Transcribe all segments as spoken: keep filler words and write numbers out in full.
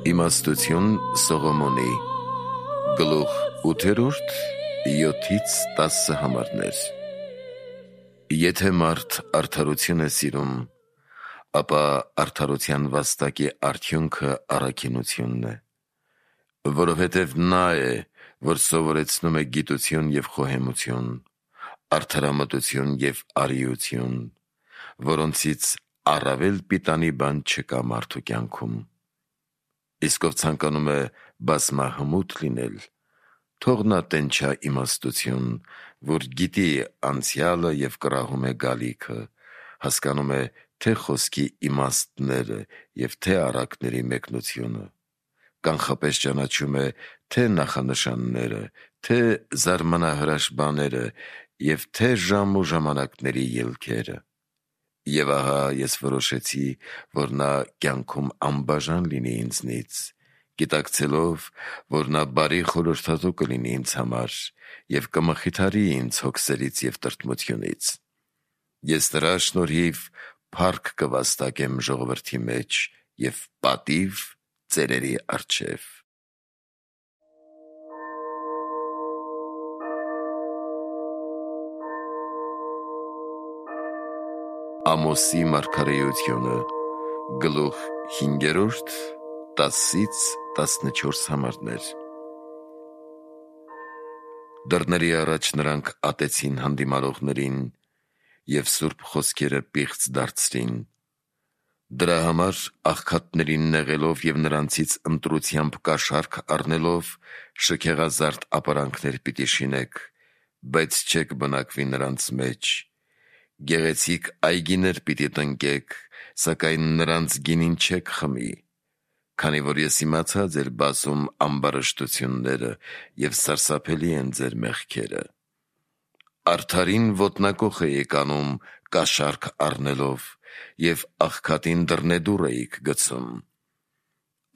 Իմաստություն Սողոմոնի գլուխ ութերորդ յոթից տասը համարներ։ Եթե մարդ արդարություն է սիրում, ապա արդարության վաստակի արդյունքը առաքինությունն է, որովհետև նա է, որ սովորեցնում է գիտություն և խոհեմություն, արդարամտություն և արիություն, որոնցից առավել պիտանի բան չկա մարդու կյանքում։ Իսկ ով ցանկանում է բազմահմուտ լինել, թող նա տենչա իմաստություն, որ գիտի անցյալը և կռահում է գալիքը, հասկանում է թե խոսքի իմաստները և թե առակների մեկնությունը, կանխապես ճանաչում է թե նախանշանները, թե զարմանահրաշ բաները և թե ժամ ու ժամանակների ելքերը։ Եվ ահա ես որոշեցի, որ նա կյանքում անբաժան լինի ինձնից, գիտակցելով, որ նա բարի խորհրդատու կլինի ինձ համար և կմխիթարի ինձ հոգսերից և տրտմությունից։ Ես նրա շնորհիվ փառք կվաստակեմ ժողովրդի մեջ և պատիվ ծերերի առջև։ Ամոսի մարգարեությունը գլուխ հինգերորդ տասից տասնչորս համարներ։ Դռների առաջ նրանք ատեցին հանդիմարողներին և սուրբ խոսքերը պիղծ դարձրին։ Դրա համար աղքատներին նեղելով և նրանցից ընտրությամբ կաշառք առնելով, շքեղազարդ ապարանքներ պիտի շինեք, բայց չեք բնակվի նրանց մեջ։ Գեղեցիկ այգիներ պիտի տնկեք, սակայն նրանց գինին չեք խմի, քանի որ ես իմացա ձեր բազում ամբարշտությունները և սարսափելի են ձեր մեղքերը։ Արդարին ոտնակոխ էիք անում կաշառք առնելով և աղքատին դռնեդուռ էիք գցում։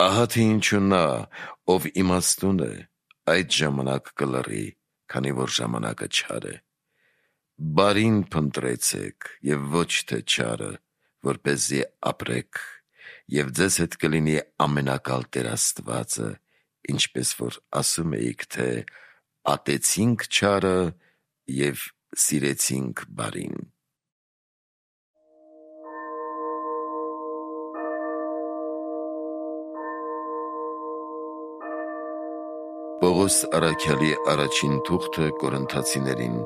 Ահա թե ինչու նա, ով իմաստուն է, այդ ժամանակ կլռի, քանի որ ժամանակը չար է։ Բարին փնտրեցեք և ոչ թե չարը, որպեսզի ապրեք, և ձեզ հետ կլինի ամենակալ Տեր Աստվածը, ինչպես որ ասում էիք, թե ատեցինք չարը և սիրեցինք բարին։ Պողոս առաքյալի առաջին թուղթը Կորինթացիներին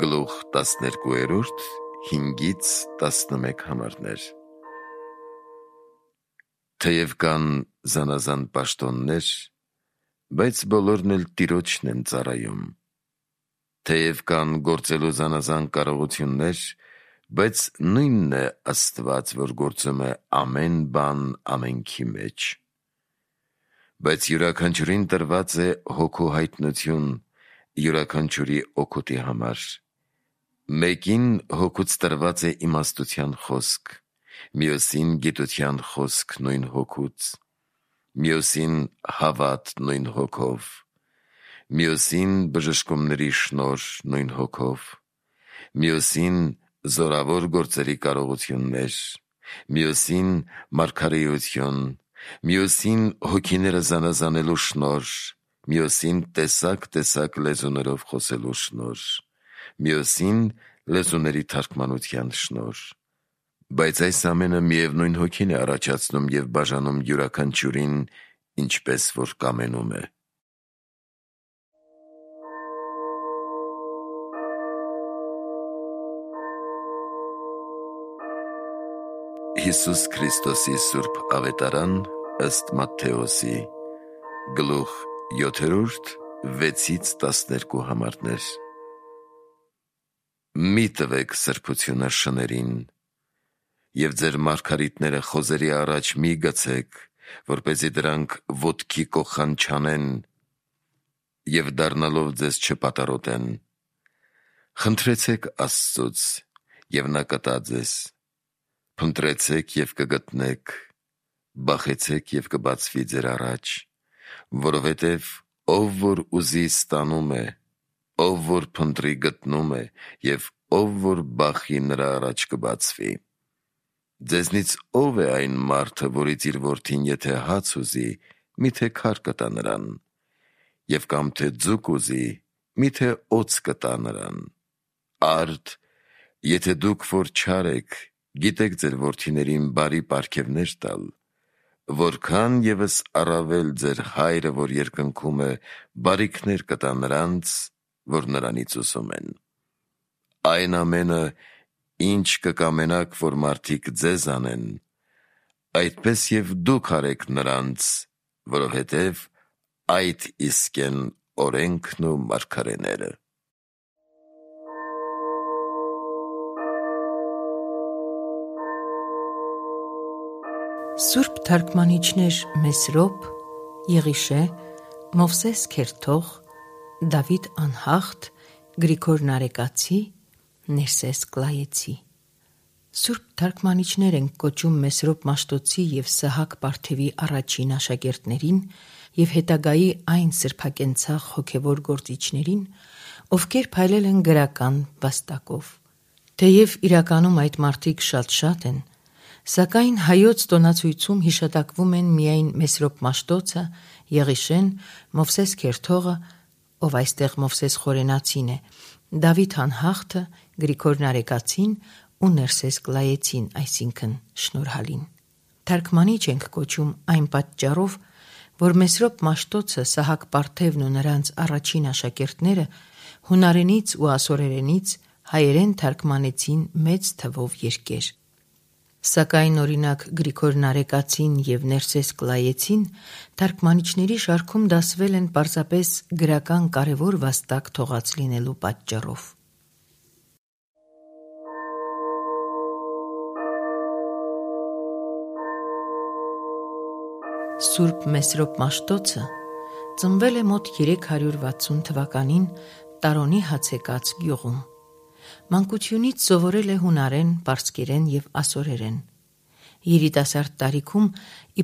գլուխ տասներկուերորդ հինգից տասնմեկ համարներ։ Թեև կան զանազան պաշտոններ, բայց բոլորն էլ Տիրոջն են ծառայում։ Թեև կան գործելու զանազան կարողություններ, բայց նույնն է Աստված, որ գործում է ամեն բան ամենքի մեջ։ Բայց յուրաքանչյուրին տրված է Հոգու հայտնություն յուրաքանչյուրի օգուտի համար։ Մեկին Հոգուց տրված է իմաստության խոսք, մյուսին գիտության խոսք նույն Հոգուց, մյուսին հավատ նույն Հոգով, մյուսին բժշկումների շնորհ նույն Հոգով, մյուսին զորավոր գործերի կարողություններ, մյուսին մարգարեություն, մյուսին հոգիները զանազանելու շնորհ, մյուսին տեսակ-տեսակ լեզուներով խոսելու շնորհ, մյուսին լեզուների թարգմանության շնորհ։ Բայց այս ամենը միևնույն Հոգին է առաջացնում և բաժանում յուրաքանչյուրին, ինչպես որ կամենում է։ Հիսուս Քրիստոսի սուրբ ավետարան ըստ Մատթեոսի գլուխ յոթերորդ վեցից տասներկու համարներ։ Մի տվեք սրբությունը շներին և ձեր մարգարիտները խոզերի առաջ մի գցեք, որպեսզի դրանք ոտքի կոխան չանեն և դառնալով ձեզ չպատառոտեն։ Խնդրեցեք Աստծուց, և նա կտա ձեզ, փնտրեցեք և կգտնեք, բախեցեք և կբացվի ձեր առաջ, որովհետև ով որ ուզի ստանում է, ով որ փնտրի գտնում է, և ով որ բախի նրա առաջ կբացվի։ Ձեզնից ո՞վ է այն մարդը, որից իր որդին եթե հաց ուզի, միթե քար կտա նրան, եւ կամ թե ձուկ ուզի, միթե օձ կտա նրան։ Արդ, եթե դուք որ չար եք, գիտեք ձեր որդիներին բարի պարգևներ տալ, որքան ևս առավել ձեր հայրը, որ երկնքում է, բարիքներ կտա նրանց, որ նրանից ուզում են։ Այն ամենը, ինչ կկամենաք, որ մարդիկ ձեզ անեն, այդպես եւ դուք արեք նրանց, որովհետեւ այդ իսկ են օրենքն ու մարգարեները։ Սուրբ թարգմանիչներ Մեսրոպ, Եղիշե, Մովսես Քերթող, Դավիթ Անհախտ, Գրիգոր Նարեկացի, Ներսես Կլայեցի։ Սուրբ թարգմանիչներ են կոչում Մեսրոպ Մաշտոցի և Սահակ Պարթևի առաջին աշակերտներին և հետագայի այն սրբակենցաղ հոգևոր գործիչներին, ովքեր փայլել են գրական վաստակով։ Թեև իրականում այդ մարդիկ շատ-շատ են, սակայն հայոց տոնացույցում հիշատակվում են միայն Մեսրոպ Մաշտոցը, Եղիշեն, Մովսես Քերթողը, ով այստեղ Մովսես Խորենացին է, Դավիթ Անհախտը, Գրիգոր Նարեկացին ու Ներսես Կլայեցին, այսինքն Շնորհալին։ Թարգմանիչ ենք կոչում այն պատճառով, որ Մեսրոպ Մաշտոցը, Սահակ Պարթևն ու նրանց առաջին աշակերտները հունարենից ու ասորերենից հայերեն թարգմանեցին մեծ թվով երկեր։ Սակայն օրինակ Գրիգոր Նարեկացին և Ներսես Կլայեցին թարգմանիչների շարքում դասվել են պարզապես գրական կարևոր վաստակ թողած լինելու պատճառով։ Սուրբ Մեսրոպ Մաշտոցը ծնվել է մոտ երեք հարյուր վաթսուն թվականին Տարոնի Հացեկաց գյուղում։ Մանկությունից սովորել է հունարեն, պարսկերեն և ասորերեն։ Երիտասարդ տարիքում,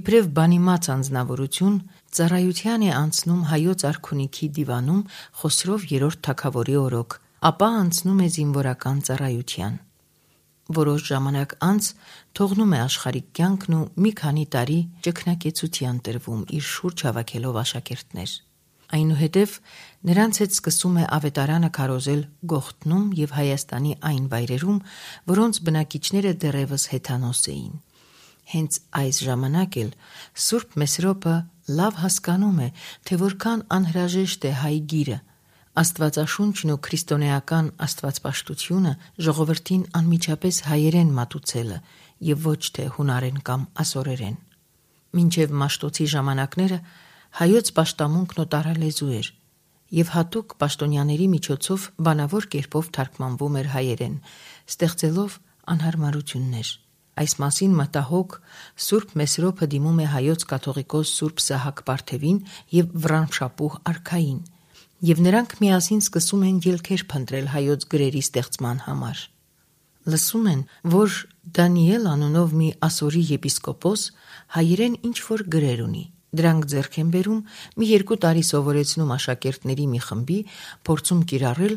իբրև բանիմաց անձնավորություն, ծառայության է անցնում Հայոց արքունիքի դիվանում Խոսրով երրորդ թագավորի օրոք, ապա անցնում է զինվորական ծառայության։ Որոշ ժամանակ անց թողնում է աշխարհիկ կյանքն ու մի քանի տարի ճգնակեցության տրվում, իր շուրջ հավաքելով աշակերտներ։ Այնուհետև նրանց հետ սկսում է ավետարանը քարոզել Գողթնում և Հայաստանի այն վայրերում, որոնց բնակիչները դեռևս հեթանոս էին։ Հենց այս ժամանակ էլ Սուրբ Մեսրոպը լավ հասկանում է, թե որքան անհրաժեշտ է հայ գիրը, Աստվածաշունչն ու քրիստոնեական աստվածպաշտությունը ժողովրդին անմիջապես հայերեն մատուցելը և ոչ թե հունարեն կամ ասորերեն։ Մինչև Մաշտոցի ժամանակները հայոց պաշտամունքն օտարալեզու էր և հատուկ պաշտոնյաների միջոցով բանավոր կերպով թարգմանվում էր հայերեն, ստեղծելով անհարմարություններ։ Այս մասին մտահոգ Սուրբ Մեսրոպը դիմում է հայոց կաթողիկոս Սուրբ Սահակ Պարթևին և Վռամշապուհ արքային, և նրանք միասին սկսում են ելքեր փնտրել հայոց գրերի ստեղծման համար։ Լսում են, որ Դանիել անունով մի ասորի եպիսկոպոս հայերեն ինչ-որ գրեր ունի։ Դրանք ձեռք են բերում, մի երկու տարի սովորեցնում աշակերտների մի խմբի, փորձում կիրառել,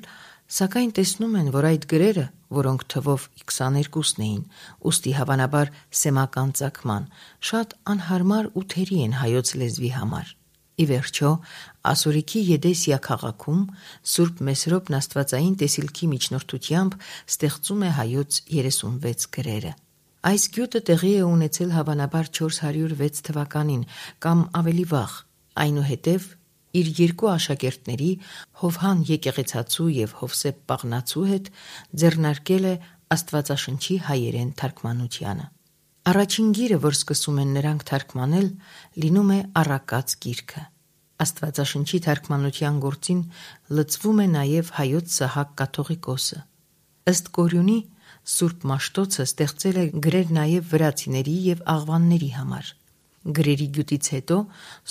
սակայն տեսնում են, որ այդ գրերը, որոնք թվով քսաներկուսն էին, ուստի հավանաբար սեմական ծագման, շատ անհարմար ու թերի են հայոց լեզվի համար։ Ի վերջո, Ասորիքի Եդեսիա քաղաքում Սուրբ Մեսրոպն աստվածային տեսիլքի միջնորդությամբ ստեղծում է հայոց երեսունվեց գրերը։ Այս գյուտը տեղի է ունեցել հավանաբար չորս հարյուր վեց թվականին կամ ավելի վաղ, այնուհետև իր երկու աշակերտների՝ Հովհան Եկեղեցացու և Հովսեփ Պաղնացու հետ ձեռնարկել է Աստվածաշնչի հայերեն թարգմանությանը։ Առաջին գիրը, որ սկսում են նրանք թարգմանել, լինում է Առակաց գիրքը։ Աստվածաշնչի թարգմանության գործին լծվում է նաև հայոց Սահակ կաթողիկոսը։ Ըստ կորյունի, Սուրբ Մաշտոցը ստեղծել է գրեր նաև վրացիների և աղվանների համար։ Գրերի գյուտից հետո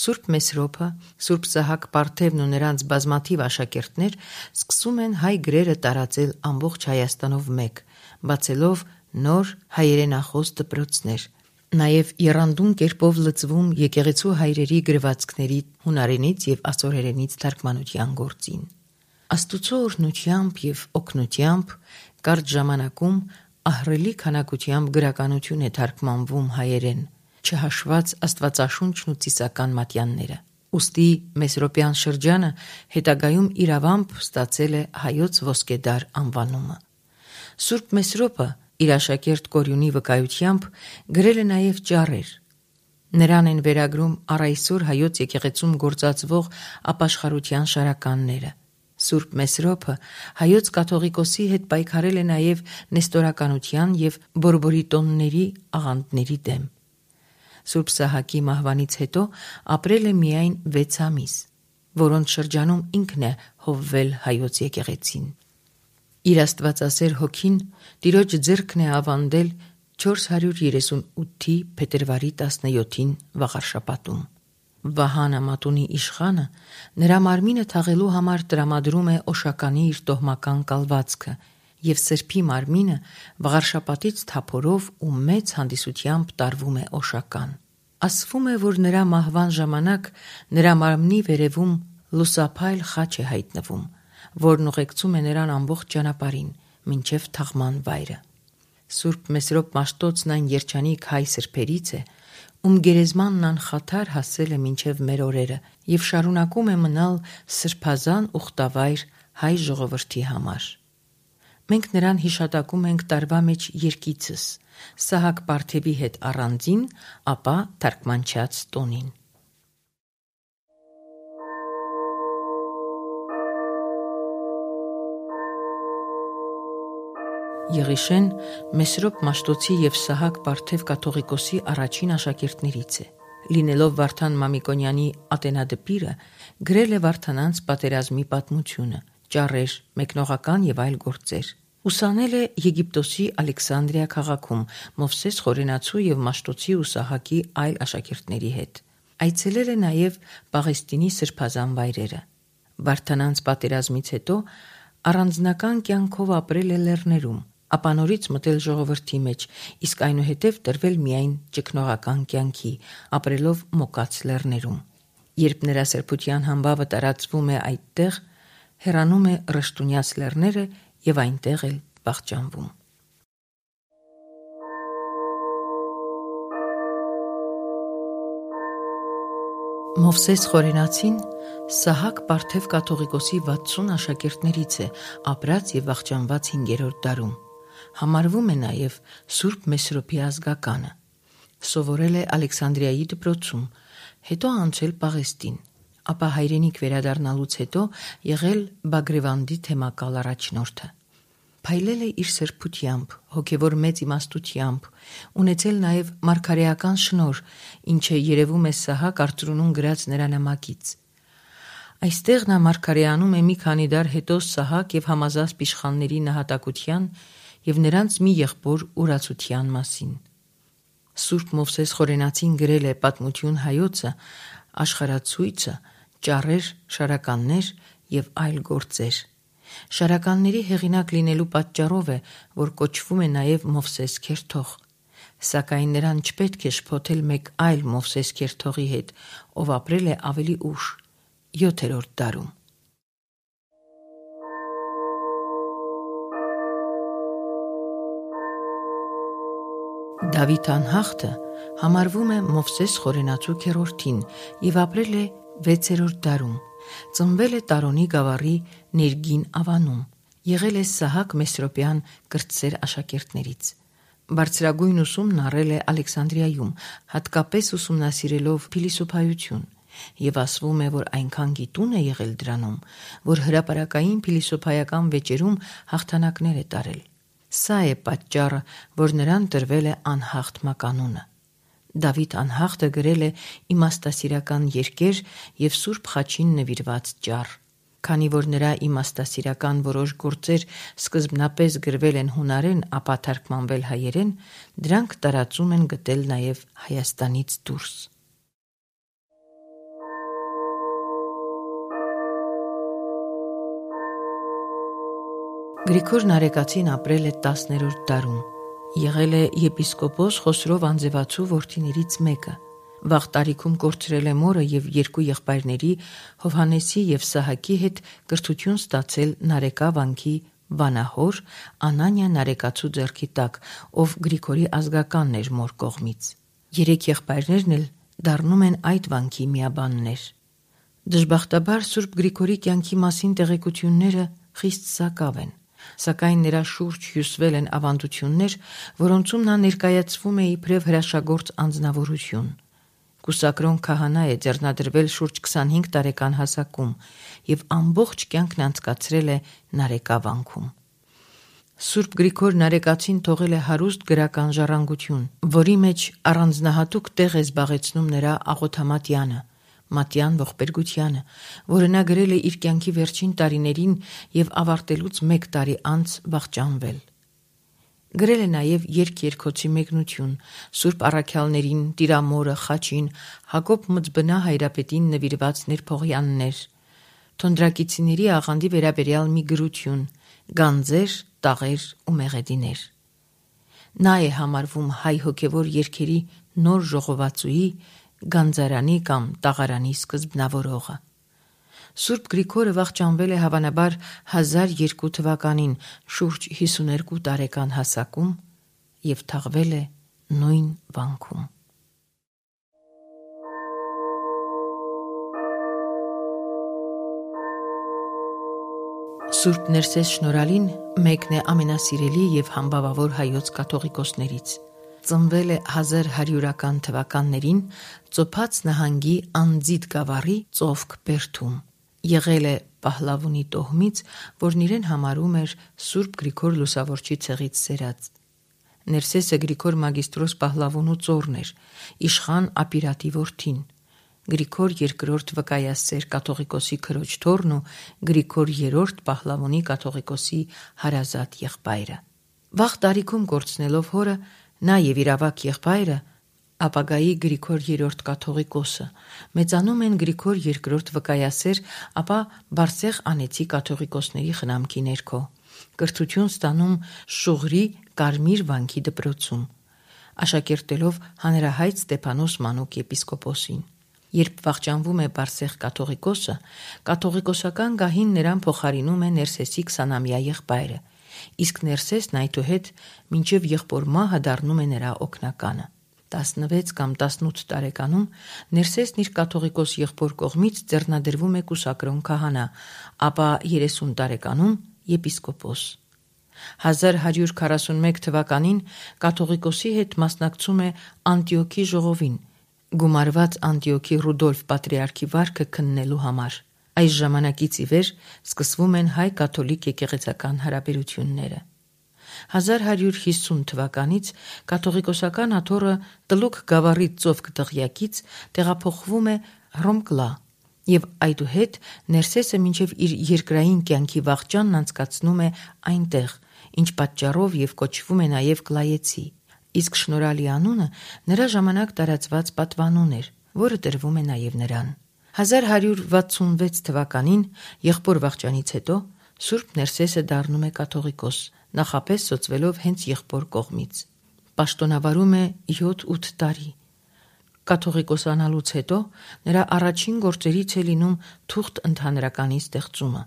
Սուրբ Մեսրոպը, Սուրբ Սահակ Պարթևն ու նրանց բազմաթիվ աշակերտներ սկսում են հայ գրերը տարածել ամբողջ Հայաստանով մեկ, բացելով նոր հայերենախոս դպրոցներ, նաև եռանդուն կերպով լծվում եկեղեցու հայրերի գրվածքների հունարենից և ասորերենից թարգմանության գործին։ Աստուծո օրհնությամբ և օգնությամբ կարճ ժամանակում ահռելի քանակությամբ գրականություն է թարգմանվում հայերեն, չհաշված աստվածաշունչն ու ծիսական մատյանները։ Ուստի Մեսրոպյան շրջանը հետագայում իրավամբ ստացել է հայոց ոսկեդար անվանումը։ Սուրբ Մեսրոպը իր աշակերտ Կորյունի վկայությամբ գրել է նաև ճառեր։ Նրան են վերագրում առ այսօր հայոց եկեղեցում գործածվող ապաշխարության շարականները։ Սուրբ Մեսրոպը հայոց կաթողիկոսի հետ պայքարել է նաև նեստորականության և բորբորիտոնների աղանդների դեմ։ Սուրբ Սահակի մահվանից հետո ապրել է միայն վեց ամիս, որոնց շրջանում ինքն է հովվել հայոց եկեղեցին։ Իր աստվածասեր հոգին Տիրոջ ձեռքն է ավանդել չորս հարյուր երեսունութի փետրվարի տասնյոթին վաղարշաբաթում։ Վահանա Մատունի իշխանը նրա մարմինը թաղելու համար տրամադրում է Օշականի իր տոհմական կալվածքը և սրբի մարմինը վաղարշաբաթից թափորով ու մեծ հանդիսությամբ տարվում է Օշական։ Ասվում է, որ նրա մահվան ժամանակ նրա մարմնի վերևում լուսափայլ խաչ է հայտնվում, որն ուղեկցում է նրան ամբողջ ճանապարհին մինչև թաղման վայրը։ Սուրբ Մեսրոպ Մաշտոցն այն երջանիկ հայ սրբերից է, ում գերեզմանն անխաթար հասել է մինչև մեր օրերը և շարունակում է մնալ սրբազան ուխտավայր հայ ժողովրդի համար։ Մենք նրան հիշատակում ենք տարվա մեջ երկիցս՝ Սահակ Պարթևի հետ առանձին, ապա թարգմանչած տոնին։ Եղիշեն Մեսրոպ Մաշտոցի և Սահակ Պարթև կաթողիկոսի առաջին աշակերտներից է։ Լինելով Վարդան Մամիկոնյանի ատենադպիրը, գրել է Վարդանանց պատերազմի պատմությունը, ճառեր, մեկնողական և այլ գործեր։ Ուսանել է Եգիպտոսի Ալեքսանդրիա քաղաքում Մովսես Խորենացու և Մաշտոցի ու Սահակի այլ աշակերտների հետ։ Այցելել է նաև Պաղեստինի սրբազան վայրերը։ Վարդանանց պատերազմից հետո առանձնական կյանքով ապրել է լեռներում, ապա նորից մտել ժողովրդի մեջ, իսկ այնուհետև տրվել միայն ճգնողական կյանքի, ապրելով Մոկաց լեռներում։ Երբ նրա սրբության համբավը տարածվում է այդտեղ, հեռանում է Ռշտունյաց լեռները և այնտեղ էլ վախճանվում։ Մովսես Խորենացին Սահակ Պարթև կաթողիկոսի վաթսուն աշակերտներից է, ապրած և վախճանված հինգերորդ դարում։ Համարվում է նաև Սուրբ Մեսրոպի ազգականը։ Սովորել է Ալեքսանդրիայի դպրոցում, հետո անցել Պաղեստին, ապա հայրենիք վերադառնալուց հետո եղել Բագրևանդի թեմակալ առաջնորդը։ Փայլել է իր սրբությամբ, հոգևոր մեծ իմաստությամբ, ունեցել նաև մարգարեական շնորհ, ինչը երևում է Սահակ Արծրունուն գրած նրա նամակից։ Այստեղ նա մարգարեանում է մի քանի դար հետո Սահակ և Համազասպ իշխանների նահատակության և նրանց մի եղբոր ուրացության մասին։ Սուրբ Մովսես Խորենացին գրել է Պատմություն հայոցը, Աշխարհացույցը, ճառեր, շարականներ և այլ գործեր։ Շարականների հեղինակ լինելու պատճառով է, որ կոչվում է նաև Մովսես Քերթող, սակայն նրան չպետք է շփոթել մեկ այլ Մովսես Քերթողի հետ, ով ապրել է ավելի ուշ, յոթերորդ դարում։ Դավիթ անհախտը համարվում է Մովսես Խորենացու քերորդին և ապրել է վեցերորդ դարում։ Ծնվել է Տարոնի գավառի Ներգին ավանում, եղել է Սահակ Մեսրոպյան կրտսեր աշակերտներից։ Բարձրագույն ուսումն առել է Ալեքսանդրիայում, հատկապես ուսումնասիրելով փիլիսոփայություն, և ասվում է, որ այնքան գիտուն է եղել դրանում, որ հրապարակային փիլիսոփայական վեճերում հաղթանակներ է տարել։ Սա է պատճառը, որ նրան տրվել է անհախտ մականունը։ Դավիթ անհախտը գրել է իմաստասիրական երկեր և Սուրբ Խաչին նվիրված ճառ։ Քանի որ նրա իմաստասիրական որոշ գործեր սկզբնապես գրվել են հունարեն, ապա թարգմանվել հայերեն, դրանք տարածում են գտել նաև Հայաստանից դուրս։ Գրիգոր Նարեկացին ապրել է տասներորդ դարում, եղել է եպիսկոպոս Խոսրով Անձևացու որդիներից մեկը։ Վաղ տարիքում կորցրել է մորը և երկու եղբայրների՝ Հովհաննեսի և Սահակի հետ կրթություն ստացել Նարեկա վանքի վանահոր Անանիա Նարեկացու ձեռքի տակ, ով Գրիգորի ազգականն էր մոր կողմից։ Երեք եղբայրներն էլ դառնում են այդ վանքի միաբաններ։ Դժբախտաբար Սուրբ Գրիգորի կյանքի մասին տեղեկությունները խիստ սակավ են, սակայն նրա շուրջ հյուսվել են ավանդություններ, որոնցում նա ներկայացվում է իբրև հրաշագործ անձնավորություն։ Կուսակրոն քահանա է ձեռնադրվել շուրջ քսանհինգ տարեկան հասակում եւ ամբողջ կյանքն անցկացրել է Նարեկավանքում։ Սուրբ Գրիգոր Նարեկացին թողել է հարուստ գրական ժառանգություն, որի մեջ առանձնահատուկ տեղ է զբաղեցնում նրա աղոթամատյանը, Մատյան ողբերգությանը, որը նա գրել է իր կյանքի վերջին տարիներին եւ ավարտելուց մեկ տարի անց վախճանվել։ Գրել է նաև երգ-երգոցի մեկնություն, Սուրբ առաքյալներին, Տիրամորը, Խաչին, Հակոբ Մծբնա Հայրապետին նվիրված ներփողյաններ, թոնդրակիցիների աղանդի վերաբերյալ մի գրություն, գանձեր, տաղեր ու մեղեդիներ։ Նա է համարվում հայ հոգևոր երգերի նոր ժողովածուի, գանձարանի կամ տաղարանի սկզբնավորողը։ Սուրբ Գրիգորը վախճանվել է հավանաբար հազար երկու թվականին շուրջ հիսուներկու տարեկան հասակում և թաղվել է նույն վանքում։ Սուրբ Ներսես Շնորհալին մեկն է ամենասիրելի և համբավավոր հայոց կաթողիկոսներից։ Ծնվել է հազար հարյուրական թվականներին Ծոփաց նահանգի Անձիդ գավառի Ծովք բերդում։ Եղել է Պահլավունի տոհմից, որն իրեն համարում էր Սուրբ Գրիգոր Լուսավորչի ցեղից սերած։ Ներսեսը Գրիգոր Մագիստրոս Պահլավունու ծոռն էր, իշխան Ապիրատի որդին, Գրիգոր երկրորդ վկայասեր կաթողիկոսի քրոջ թոռն ու Գրիգոր երրորդ Պահլավունի կաթողիկոսի հարազատ եղբայրը։ Վաղ տարիքում կորցնելով հորը, նա եւ իր ավագ եղբայրը, ապագայի Գրիգոր երրորդ կաթողիկոսը, մեծանում են Գրիգոր երկրորդ վկայասեր, ապա Բարսեղ անեցի կաթողիկոսների խնամքի ներքո, կրթություն ստանում Շուղրի Կարմիր վանքի դպրոցում, աշակերտելով հանրահայտ Ստեփանոս Մանուկ եպիսկոպոսին։ Երբ վախճանվում է Բարսեղ կաթողիկոսը, կաթողիկոսական գահին նրան փոխարինում է Ներսեսի քսանամյա եղբայրը, իսկ Ներսեսն այդուհետ մինչև եղբոր մահը դառնում է նրա օգնականը։ տասնվեց կամ տասնութ տարեկանում Ներսեսն իր կաթողիկոս եղբոր կողմից ձեռնադրվում է կուսակրոն քահանա, ապա երեսուն տարեկանում եպիսկոպոս։ հազար հարյուր քառասունմեկ թվականին կաթողիկոսի հետ մասնակցում է Անտիոքի ժողովին, գումարված Անտիոքի Ռուդոլֆ պատրիարքի վարքը քննելու համար։ Այս ժամանակից ի վեր սկսվում են հայ-կաթոլիկ եկեղեցական հարաբերությունները։ հազար հարյուր հիսուն թվականից կաթողիկոսական աթոռը Տլուկ գավառի Ծովք դղյակից տեղափոխվում է Հռոմկլա եւ այդուհետ Ներսեսը մինչև իր երկրային կյանքի վախճանն անցկացնում է այնտեղ, ինչ պատճառով եւ կոչվում է նաեւ Կլայեցի, իսկ Շնորհալի անունը նրա ժամանակ տարածված պատվանուն էր, որը տրվում է նաեւ նրան։ հազար հարյուր վաթսունվեց թվականին եղբոր վախճանից հետո Սուրբ Ներսեսը դառնում է կաթողիկոս, նախապես սոցվելով հենց եղբոր կողմից։ Պաշտոնավարում է յոթ-ութ տարի։ Կաթողիկոսանալուց հետո նրա առաջին գործերից է լինում թուղթ ընդհանրականի ստեղծումը,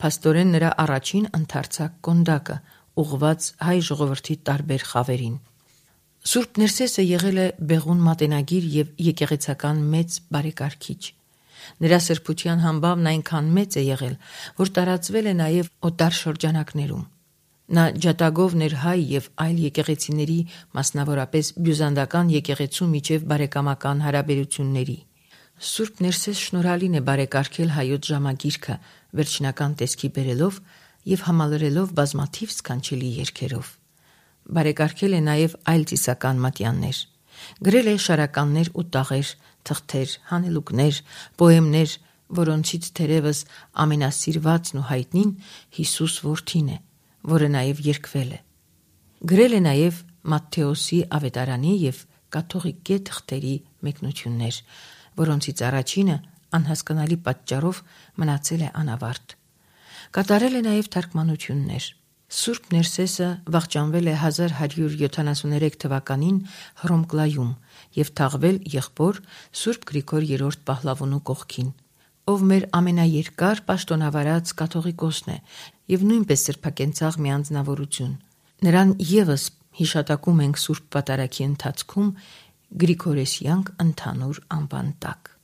փաստորեն նրա առաջին ընդարձակ կոնդակը, ուղղված հայ ժողովրդի տարբեր խավերին։ Սուրբ Ներսեսը եղել է բեղուն մատենագիր եւ եկեղեցական մեծ բարեկարգիչ։ Նրա սրբության համբավն այնքան մեծ է եղել, որ տարածվել է նաև օտար շրջանակներում։ Նա ջատագով ներհայ եւ այլ եկեղեցիների, մասնավորապես բյուզանդական եկեղեցու միջև բարեկամական հարաբերությունների։ Սուրբ Ներսես Շնորհալին է բարեկարգել հայոց ժամագիրքը, վերջնական տեսքի բերելով եւ համալրելով բազմաթիվ սքանչելի երգերով։ Բարեկարգել է նաև այլ ծիսական մատյաններ։ Գրել է շարականներ ու տաղեր, թղթեր, հանելուկներ, պոեմներ, որոնցից թերևս ամենասիրվածն ու հայտնին Հիսուս որդին է, որը նաև երգվել է։ Գրել է նաև Մատթեոսի ավետարանի եւ կաթողիկե թղթերի մեկնություններ, որոնցից առաջինը անհասկանալի պատճառով մնացել է անավարտ։ Կատարել է նաև թարգմանություններ։ Սուրբ Ներսեսը վախճանվել է հազար հարյուր յոթանասուներեք թվականին Հռոմկլայում եւ թաղվել եղբոր Սուրբ Գրիգոր երրորդ Պահլավունու կողքին, ով մեր ամենաերկար պաշտոնավարած կաթողիկոսն է եւ նույնպես սրբակենցաղ մի անձնավորություն։ Նրան եւս հիշատակում ենք Սուրբ Պատարագի ընթացքում Գրիգորեսյանք ընդհանուր անվան տակ։